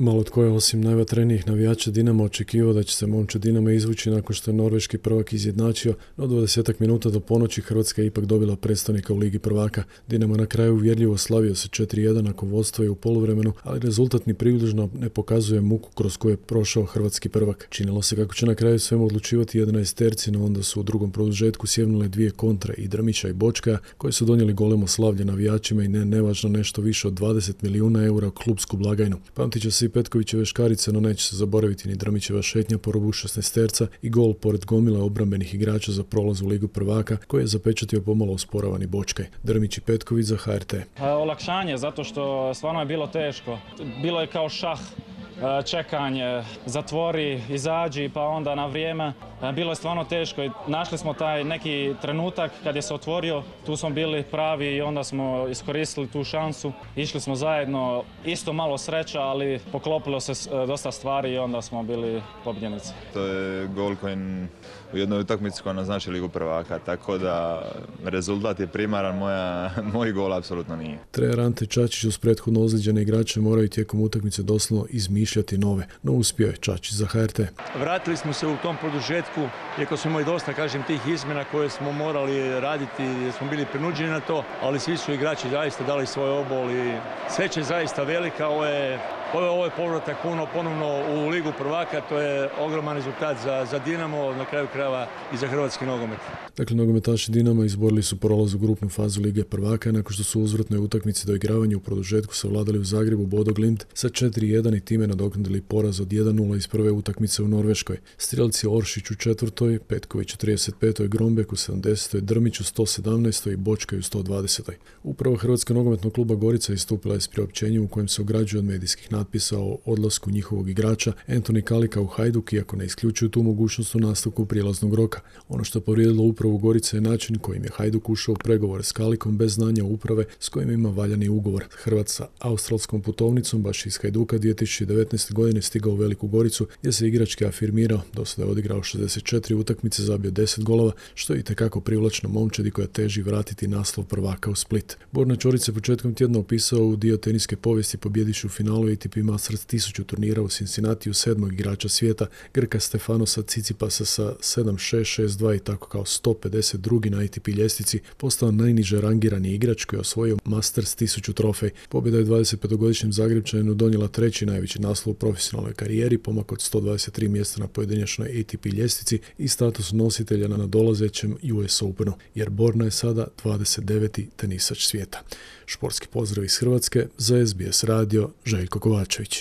Malo tko je osim najvatrenijih navijača Dinama očekivao da će se momčad Dinama izvući nakon što je norveški prvak izjednačio, no 20 minuta do ponoći Hrvatska je ipak dobila predstavnika u Ligi prvaka. Dinamo na kraju uvjerljivo slavio se 4:1 nakon vodstva i u poluvremenu, ali rezultat ni približno ne pokazuje muku kroz koju je prošao hrvatski prvak. Činilo se kako će na kraju svemu odlučivati 11-terci, no onda su u drugom produžetku sjevnule dvije kontre i Drmića i Bočkaja, koji su donijeli golemo slavlje navijačima i nevažno nešto više od 20 milijuna eura u klubsku blagajnu. Pamtit će se i Petkovićeve škarice, no neće se zaboraviti ni Drmićeva šetnja po rubu 16-terca i gol pored gomile obrambenih igrača za prolaz u Ligu prvaka, koji je zapečatio pomalo usporavani Bočkaj. Drmić i Petković za HRT. Olakšanje, zato što stvarno je bilo teško. Bilo je kao šah. Čekanje, zatvori, izađi, pa onda na vrijeme. Bilo je stvarno teško i našli smo taj neki trenutak kad je se otvorio, tu smo bili pravi i onda smo iskoristili tu šansu. Išli smo zajedno, isto malo sreća, ali poklopilo se dosta stvari i onda smo bili pobjednici. To je gol koji u jednoj utakmici koja naznači Ligu prvaka, tako da rezultat je primaran, moj gol apsolutno nije. Trener Ante Čačić uz prethodno ozlijeđene igrače moraju tijekom utakmice doslovno izmišljati nove, no uspio je Čačić za HRT. Vratili smo se u tom produžetku, iako smo imali dosta, tih izmjena koje smo morali raditi, jer smo bili prinuđeni na to, ali svi su igrači zaista dali svoj obol i sreća je zaista velika. Ovo je povratak ponovno u Ligu prvaka, to je ogroman rezultat za Dinamo, na kraju krajeva i za hrvatski nogomet. Dakle, nogometaši Dinama izborili su prolaz u grupnu fazu Lige prvaka nakon što su u uzvratnoj utakmici doigravanja u produžetku savladali u Zagrebu Bodo Glimt sa 4:1 i time nadoknadili poraz od 1:0 iz prve utakmice u Norveškoj. Strijelci Oršić u 4., Petković u 35., Grombek u 70., Drmić u 117. i Bočkaj u 120. Upravo Hrvatska nogometnog kluba Gorica istupila je s priopćenjem u kojem se ograđuje od medijskih natpisa o odlasku njihovog igrača Antoni Kalika u Hajduk, iako ne isključuju tu mogućnost u nastavku prijelaznog roka. Ono što je povrijedilo upravu Gorice je način kojim je Hajduk ušao u pregovore s Kalikom bez znanja uprave s kojim ima valjani ugovor. Hrvat sa australskom putovnicom baš iz Hajduka 2019. godine stigao u Veliku Goricu gdje se igrački afirmirao, do sada je odigrao 64 utakmice, zabio 10 golova, što je itekako privlačno momčadi koja teži vratiti naslov prvaka u Split. Borna Ćorić se početkom tjedna opisao u dio teniske povijesti pobjediš u finalu ATP Masters 1000 turnira u Cincinnatiju 7. igrača svijeta, Grka Stefanosa Cicipasa sa 7-6, 6-2 i tako kao 152. na ATP ljestvici postao najniže rangirani igrač koji je osvojio Masters 1000 trofej. Pobjeda je 25-godišnjem Zagrebčaninu donijela treći najveći naslov u profesionalnoj karijeri, pomak od 123 mjesta na pojedinačnoj ATP ljestvici i status nositelja na nadolazećem US Openu, jer Borna je sada 29. tenisač svijeta. Športski pozdrav iz Hrvatske, za SBS radio, Željko Kovačević.